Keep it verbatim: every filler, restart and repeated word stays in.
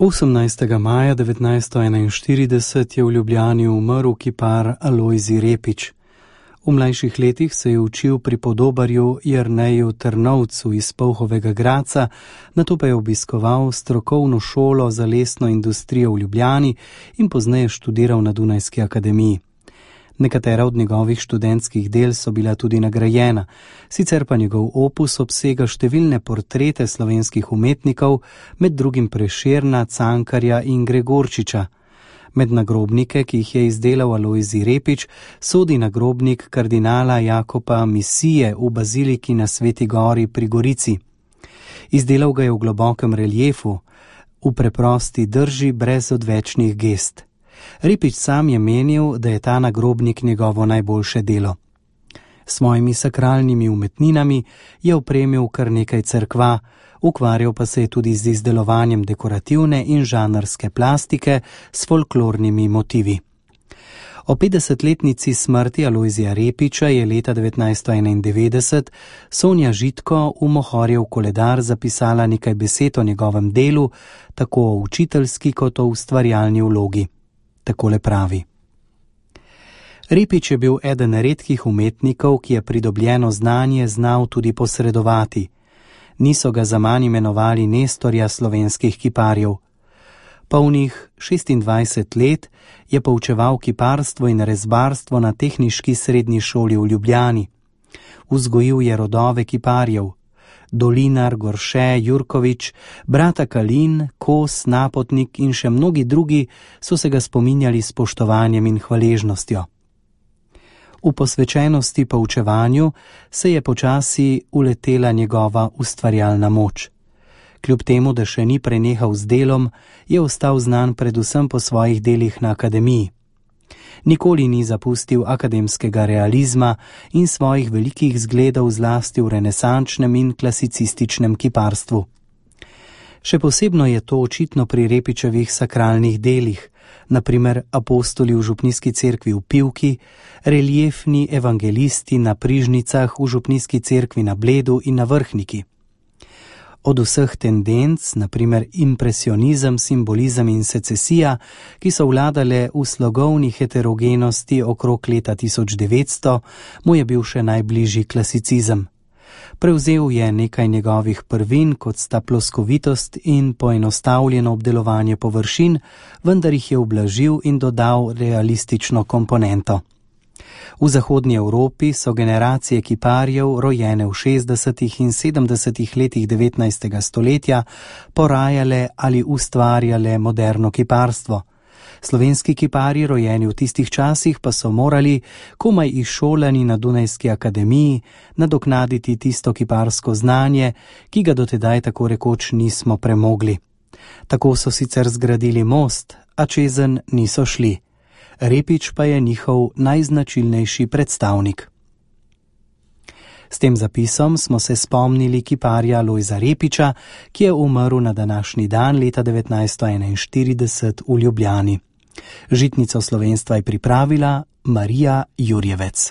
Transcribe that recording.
osemnajstega maja devetnajststo enainštirideset je v Ljubljani umrl kipar Alojzij Repič. V mlajših letih se je učil pri podobarju Jerneju Trnovcu iz Polhovega Gradca, nato pa je obiskoval strokovno šolo za lesno industrijo v Ljubljani in pozneje študiral na Dunajski akademiji. Nekatera od njegovih študentskih del so bila tudi nagrajena, sicer pa njegov opus obsega številne portrete slovenskih umetnikov, med drugim Prešerna, Cankarja in Gregorčiča. Med nagrobnike, ki jih je izdelal Alojzij Repič, sodi nagrobnik kardinala Jakopa Misije v baziliki na Sveti Gori pri Gorici. Izdelal ga je v globokem reliefu, v preprosti drži brez odvečnih gest. Repič sam je menil, da je ta nagrobnik njegovo najboljše delo. S svojimi sakralnimi umetninami je opremil kar nekaj cerkva, ukvarjal pa se je tudi z izdelovanjem dekorativne in žanrske plastike s folklornimi motivi. O petdesetletnici smrti Alojzija Repiča je leta devetnajststo enaindevetdeset Sonja Žitko v Mohorjev koledar zapisala nekaj besed o njegovem delu, tako o učiteljski kot o ustvarjalni vlogi. Takole pravi: Repič je bil eden redkih umetnikov, ki je pridobljeno znanje znal tudi posredovati. Niso ga zaman imenovali Nestorja slovenskih kiparjev. Polnih šestindvajset let je poučeval kiparstvo in rezbarstvo na Tehniški srednji šoli v Ljubljani. Vzgojil je rodove kiparjev: Dolinar, Gorše, Jurkovič, brata Kalin, Kos, Napotnik in še mnogi drugi so se ga spominjali s spoštovanjem in hvaležnostjo. V posvečenosti poučevanju se je počasi uletela njegova ustvarjalna moč. Kljub temu, da še ni prenehal z delom, je ostal znan predvsem po svojih delih na akademiji. Nikoli ni zapustil akademskega realizma in svojih velikih zgledov zlasti v renesančnem in klasicističnem kiparstvu. Še posebno je to očitno pri Repičevih sakralnih delih, na primer apostoli v župnijski cerkvi v Pivki, reliefni evangelisti na prižnicah v župnijski cerkvi na Bledu in na Vrhniki. Od vseh tendenc, na primer impresionizem, simbolizem in secesija, ki so vladale v slogovni heterogenosti okrog leta tisoč devetsto, mu je bil še najbližji klasicizem. Prevzel je nekaj njegovih prvin, kot sta ploskovitost in poenostavljeno obdelovanje površin, vendar jih je ublažil in dodal realistično komponento. V zahodnji Evropi so generacije kiparjev, rojene v šestdesetih in sedemdesetih letih devetnajstega stoletja, porajale ali ustvarjale moderno kiparstvo. Slovenski kiparji, rojeni v tistih časih, pa so morali, komaj izšolani na Dunajski akademiji, nadoknaditi tisto kiparsko znanje, ki ga dotedaj tako rekoč nismo premogli. Tako so sicer zgradili most, a čezenj niso šli. Repič pa je njihov najznačilnejši predstavnik. S tem zapisom smo se spomnili kiparja Alojzija Repiča, ki je umrl na današnji dan leta devetnajststo enainštirideset v Ljubljani. Žitnico slovenstva je pripravila Marija Jurjevec.